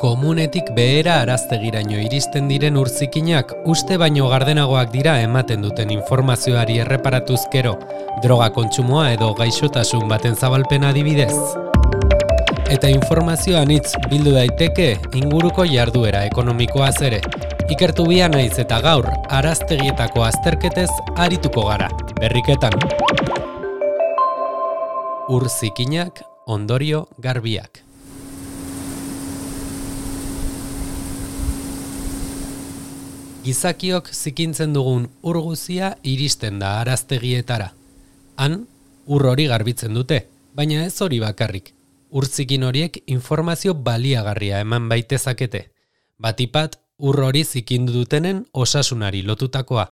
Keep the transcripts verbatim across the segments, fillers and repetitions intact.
Komunetik behera araztegiraino iristen diren urzikinak uste baino gardenagoak dira ematen duten informazioari erreparatuz gero, droga kontsumoa edo gaixotasun baten zabalpena adibidez. Eta informazioa anitz bildu daiteke inguruko jarduera ekonomikoaz ere. Ikertu bia naiz eta gaur araztegietako azterketez arituko gara, berriketan. Urzikinak, ondorio garbiak. Gizakiok zikintzen dugun ur guzia iristen da araztegietara. Han, ur hori garbitzen dute, baina ez hori bakarrik. Urzikin horiek informazio baliagarria eman baitezakete. Batipat, ur hori zikindu dutenen osasunari lotutakoa.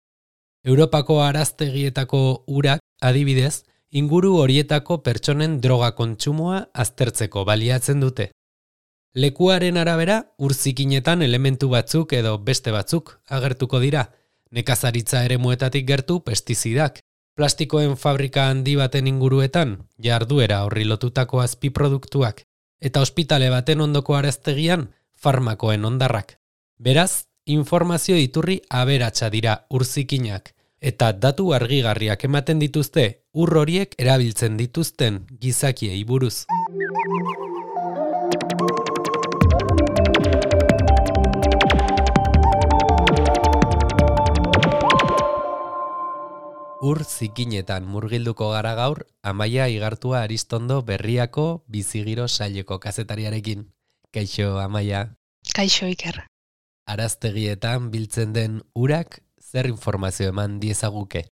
Europako araztegietako urak, adibidez, inguru horietako pertsonen droga kontsumoa aztertzeko baliatzen dute. Lekuaren arabera, urzikinetan elementu batzuk edo beste batzuk agertuko dira. Nekazaritza eremuetatik gertu pestizidak. Plastikoen fabrika handi baten inguruetan, jarduera horri lotutako azpiproduktuak. Eta ospitale baten ondoko araztegian, farmakoen hondarrak. Beraz, informazio iturri aberatsa dira urzikinak. Eta datu argigarriak ematen dituzte, ur horiek erabiltzen dituzten gizakiei buruz. Ur zikinetan murgilduko gara gaur, Amaia Igartua Aristondo Berriako Bizigiro saileko kazetariarekin. Kaixo, Amaia. Kaixo, Iker. Araztegietan biltzen den urak zer informazio eman diezaguke?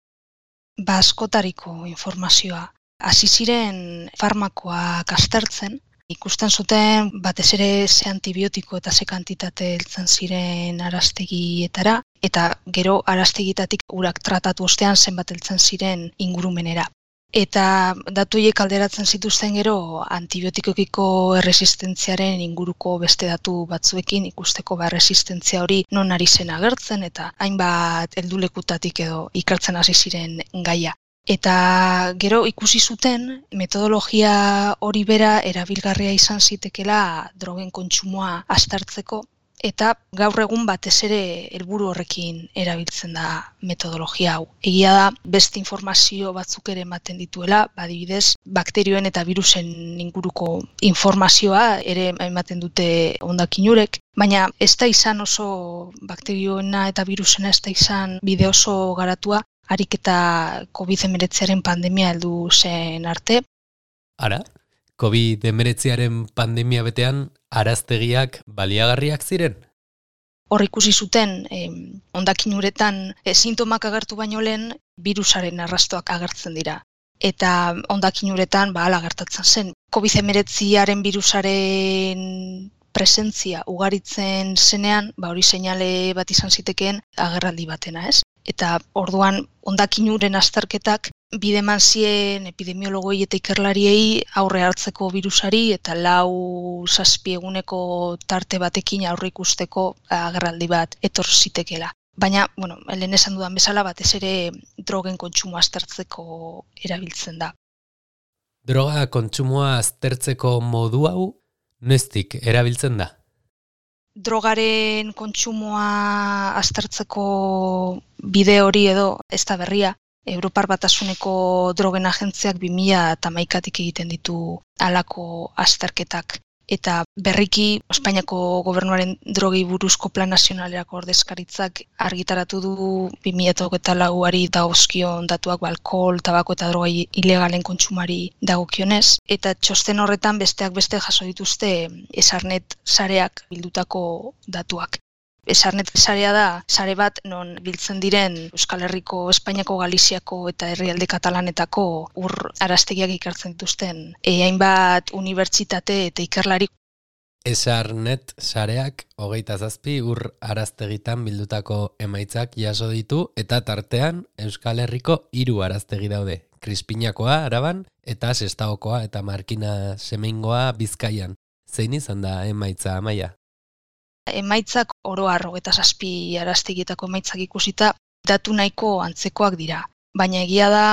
Ba, askotariko informazioa. Hasi ziren farmakoak aztertzen, ikusten zuten batez ere ze antibiotiko eta ze kantitate heltzen ziren araztegietara, eta gero araztegietatik urak tratatu ostean zenbat heltzen ziren ingurumenera. Eta datu horiek alderatzen zituzten gero antibiotikokiko erresistentziaren inguruko beste datu batzuekin ikusteko ba erresistentzia hori non ari zen agertzen eta hainbat heldulekutatik edo ikertzen hasi ziren gaia. Eta gero ikusi zuten metodologia hori bera erabilgarria izan zitekela drogen kontsumoa aztertzeko, eta gaur egun batez ere helburu horrekin erabiltzen da metodologia hau. Egia da beste informazio batzuk ere ematen dituela, adibidez bakterioen eta virusen inguruko informazioa ere ematen dute hondakinurek, baina ez da izan oso bakterioena eta virusena ez da izan bide oso garatua, harik eta covid hemeretziaren pandemia heldu zen arte. Ara, covid hemeretziaren pandemia betean araztegiak baliagarriak ziren? Hor ikusi zuten, eh, hondakin uretan eh, sintomak agertu baino lehen virusaren arrastoak agertzen dira. Eta hondakin uretan ba, hala gertatzen zen. covid hemeretziaren virusaren presentzia ugaritzen zenean, ba, hori seinale bat izan zitekeen agerraldi batena, ez? Eta orduan hondakin uren azterketak bide eman zien epidemiologoi eta ikerlariei aurre hartzeko virusari eta lau zazpi eguneko tarte batekin aurre ikusteko agerraldi bat etor zitekela. Baina, bueno, lehen esan dudan bezala batez ere drogen kontsumoa aztertzeko erabiltzen da. Droga kontsumoa aztertzeko modu hau noiztik erabiltzen da? Drogaren kontsumoa aztertzeko bide hori edo ez da berria. Europar Batasuneko drogen agentziak bi mila hamaikatik egiten ditu halako azterketak. Eta berriki Espainiako gobernuaren drogei buruzko plan nazionalerako ordezkaritzak argitaratu du bi mila hogeita lauari dagozkion datuak alkohol, tabako eta droga ilegalen kontsumari dagokionez. Eta txosten horretan besteak beste jaso dituzte Esarnet sareak bildutako datuak. Esarnet sarea da sare bat non biltzen diren Euskal Herriko, Espainiako, Galiziako eta herrialde katalanetako ur araztegiak ikertzen dituzten e, hainbat unibertsitate eta ikerlari. Esarnet sareak hogeita zazpi ur araztegitan bildutako emaitzak jaso ditu eta tartean Euskal Herriko hiru araztegi daude. Krispinakoa Araban eta Sestaokoa eta Markina Semeingoa Bizkaian. Zein izan da emaitza, Amaia? Emaitzak oro har hogeita zazpi araztegietako emaitzak ikusita datu nahiko antzekoak dira. Baina egia da,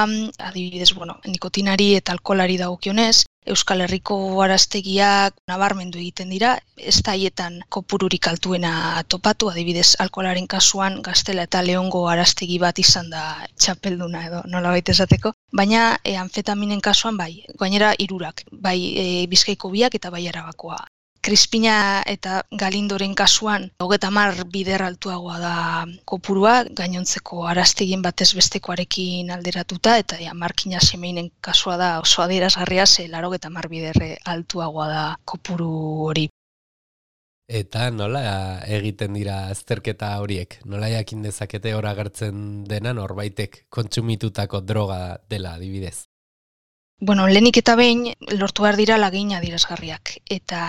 adibidez, bueno, nikotinari eta alkoholari dagokionez, Euskal Herriko araztegiak nabarmendu egiten dira, ez da haietan kopururik altuena topatu, adibidez alkoholaren kasuan Gaztela eta Leongo araztegi bat izan da txapelduna edo nolabait esateko, baina e, anfetaminen kasuan bai, gainera hirurak, bai e, Bizkaiko biak eta bai Arabakoa. Krispina eta Galindoren kasuan hogeita hamar bider altuagoa da kopurua, gainontzeko araztegien batez bestekoarekin alderatuta, eta ja, markina semeinen kasua da oso adierazgarria, ze laurogeita hamar bider altuagoa da kopuru hori. Eta nola egiten dira azterketa horiek? Nola jakin dezakete hor agertzen dena norbaitek kontsumitutako droga dela adibidez? Bueno, lehenik eta behin lortu behar dira lagin adierazgarriak, eta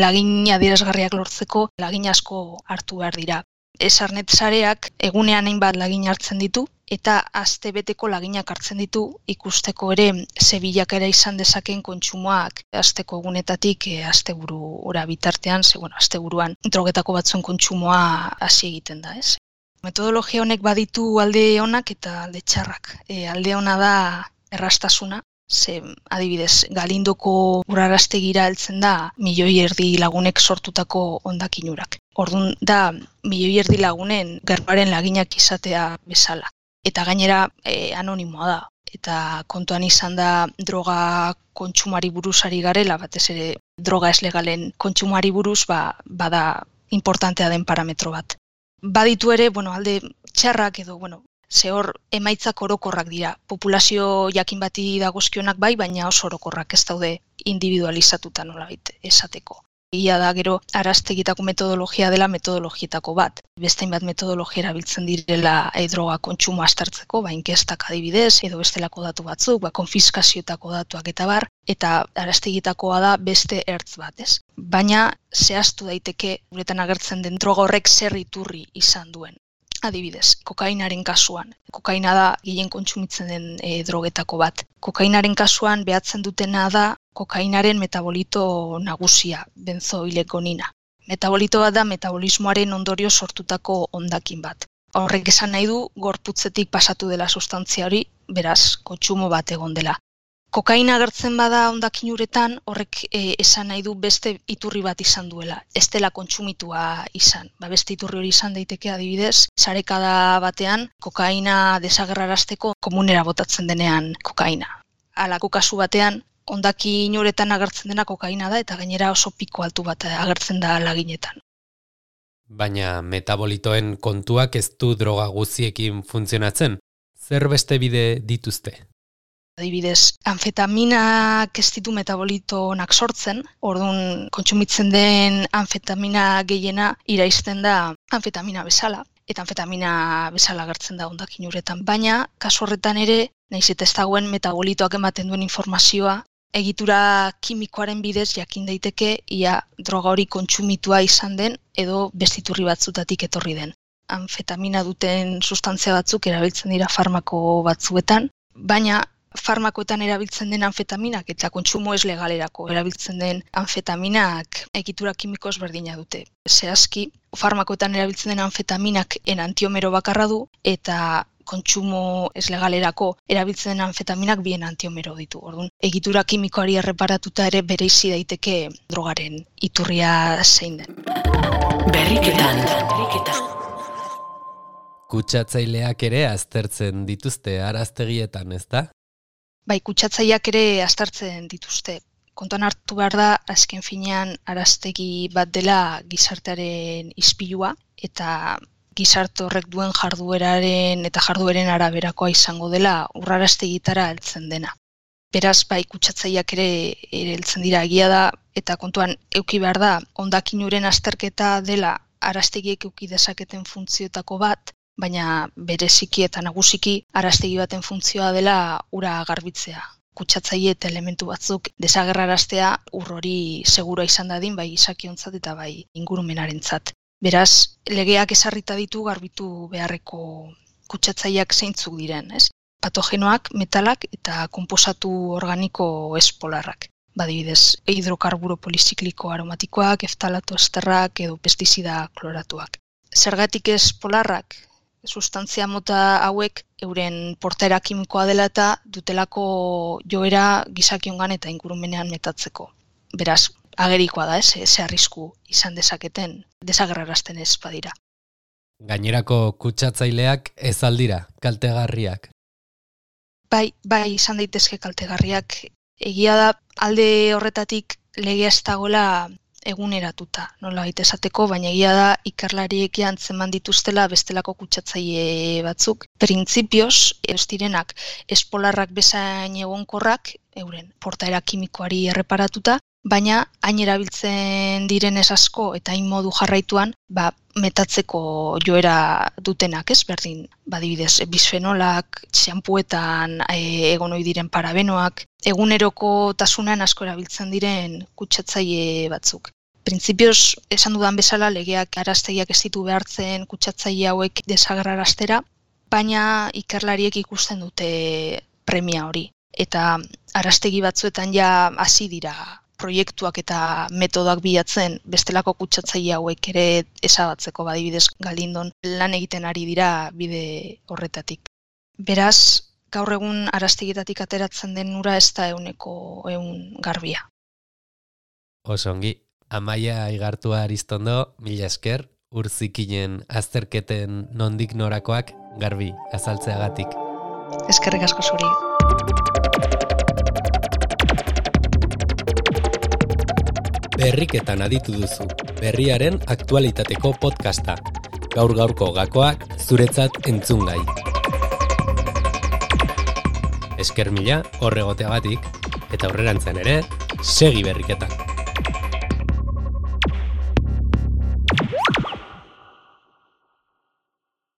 lagin adierazgarriak lortzeko lagin asko hartu behar dira. Esarnet sareak egunean hainbat lagin hartzen ditu, eta astebeteko laginak hartzen ditu ikusteko ere ze bilakaera izan dezaken kontsumoak asteko egunetatik e, asteburu ora bitartean, ze bueno, asteburuan drogetako batzuen kontsumoa hasi egiten da, ez? Metodologia honek baditu alde onak eta alde txarrak. E, alde ona da erraztasuna. Ze, adibidez, Galindoko uraraztegira heltzen da milioi erdi lagunek sortutako hondakinurak. Orduan da milioi erdi lagunen gerbaren laginak izatea bezala. Eta gainera e, anonimoa da. Eta kontuan izan da droga kontsumari buruz ari garela, batez ere droga ez legalen kontsumari buruz, ba, bada importantea den parametro bat. Baditu ere, bueno, alde txarrak edo, bueno, ze hor emaitzak orokorrak dira. Populazio jakin bati dagozkionak bai, baina oso orokorrak ez daude individualizatuta nolabait esateko. Ia da gero araztegitako metodologia dela metodologietako bat. Beste hainbat metodologia erabiltzen direla e, droga kontsumo aztertzeko, ba inkestak adibidez, edo bestelako datu batzuk, ba konfiskazioetako datuak eta bar, eta araztegitakoa da beste ertz bat, ez? Baina zehaztu daiteke uretan agertzen den droga horrek zer iturri izan duen. Adibidez, kokainaren kasuan. Kokaina da gehien kontsumitzen den e, drogetako bat. Kokainaren kasuan behatzen dutena da kokainaren metabolito nagusia, benzoilegonina. Metabolito bat da metabolismoaren ondorio sortutako hondakin bat. Horrek esan nahi du gorputzetik pasatu dela sustantzia hori, beraz, kontsumo bat egon dela. Kokaina agertzen bada hondakin uretan, horrek e, esan nahi du beste iturri bat izan duela, ez dela kontsumitua izan. Ba, beste iturri hori izan daiteke adibidez, sarekada batean kokaina desagerrarazteko komunera botatzen denean kokaina. Halako kasu batean, hondakin uretan agertzen dena kokaina da eta gainera oso piko altu bat agertzen da laginetan. Baina metabolitoen kontuak ez du droga guziekin funtzionatzen. Zer beste bide dituzte? Adibidez, anfetaminak ez ditu metabolito onak sortzen, orduan kontsumitzen den anfetamina gehiena iraizten da anfetamina bezala, eta anfetamina bezala agertzen da hondakin uretan. Baina, kasu horretan ere, nahiz eta ez dagoen metabolitoak ematen duen informazioa, egitura kimikoaren bidez jakin daiteke ia droga hori kontsumitua izan den edo bestiturri batzutatik etorri den. Anfetamina duten sustantzia batzuk erabiltzen dira farmako batzuetan, baina farmakoetan erabiltzen den anfetaminak eta kontsumo ez legalerako erabiltzen den anfetaminak egitura kimiko ezberdina dute. Zehazki, farmakoetan erabiltzen den anfetaminak enantiomero bakarra du eta kontsumo ez legalerako erabiltzen den anfetaminak bien antiomero ditu. Orduan, egitura kimikoari erreparatuta ere bereizi daiteke drogaren iturria zein den. Berriketan, berriketan. Kutsatzaileak ere aztertzen dituzte araztegietan, ez da? Bai, kutsatzaileak ere aztertzen dituzte. Kontuan hartu behar da, azken finean araztegi bat dela gizartearen ispilua, eta gizarte horrek duen jardueraren eta jardueren araberakoa izango dela urraraztegitara heltzen dena. Beraz, bai, kutsatzaileak ere ere heltzen dira egia da, eta kontuan eduki behar da, hondakinuren azterketa dela araztegiek eduki dezaketen funtzioetako bat, baina bereziki eta nagusiki araztegi baten funtzioa dela ura garbitzea. Kutsatzaile eta elementu batzuk desagerraraztea ur hori segura izan dadin bai izakiontzat eta bai ingurumenarentzat. Beraz, legeak ezarrita ditu garbitu beharreko kutsatzaileak zeintzuk diren, ez? Patogenoak, metalak eta konposatu organiko espolarrak. Badibidez, hidrokarburo polizikliko aromatikoak, eftalato esterrak edo pestizida kloratuak. Zergatik ez polarrak? sustantzia mota hauek euren portaera kimikoa dela eta dutelako joera gizakiongan eta ingurumenean metatzeko. Beraz, agerikoa da, ez, ze arrisku izan dezaketen, desagerrarazten ez badira. Gainerako kutsatzaileak ez aldira, kaltegarriak. Bai, bai, izan daitezke kaltegarriak. Egia da, alde horretatik legea ez dagoela eguneratuta, nola baita esateko, baina egia da ikerlariek antzeman dituztela bestelako kutsatzaile batzuk. Printzipioz, ez direnak espolarrak bezain egonkorrak, euren portaera kimikoari erreparatuta, baina hain erabiltzen direnez asko eta hain modu jarraituan, ba, metatzeko joera dutenak, ez berdin, badibidez, bisfenolak, txampuetan e, egon ohi diren parabenoak, eguneroko tasunean asko erabiltzen diren kutsatzaile batzuk. Printzipioz, esan dudan bezala, legeak araztegiak ez ditu behartzen kutsatzaile hauek desagerraraztera, baina ikerlariek ikusten dute premia hori. Eta araztegi batzuetan ja hasi dira proiektuak eta metodoak bilatzen bestelako kutsatzaile hauek ere ezabatzeko, badibidez Galindon lan egiten ari dira bide horretatik. Beraz, gaur egun araztegietatik ateratzen den ura ez da ehuneko ehun garbia. Osongi, Amaia Igartua Aristondo, mila esker, Urzikinen azterketen nondik norakoak garbi azaltzeagatik. Eskerrik asko zuri. Berriketan aditu duzu, berriaren aktualitateko podcasta. Gaur-gaurko gakoak zuretzat entzungai. Esker mila horregoteagatik, eta aurrerantzean ere, segi berriketan.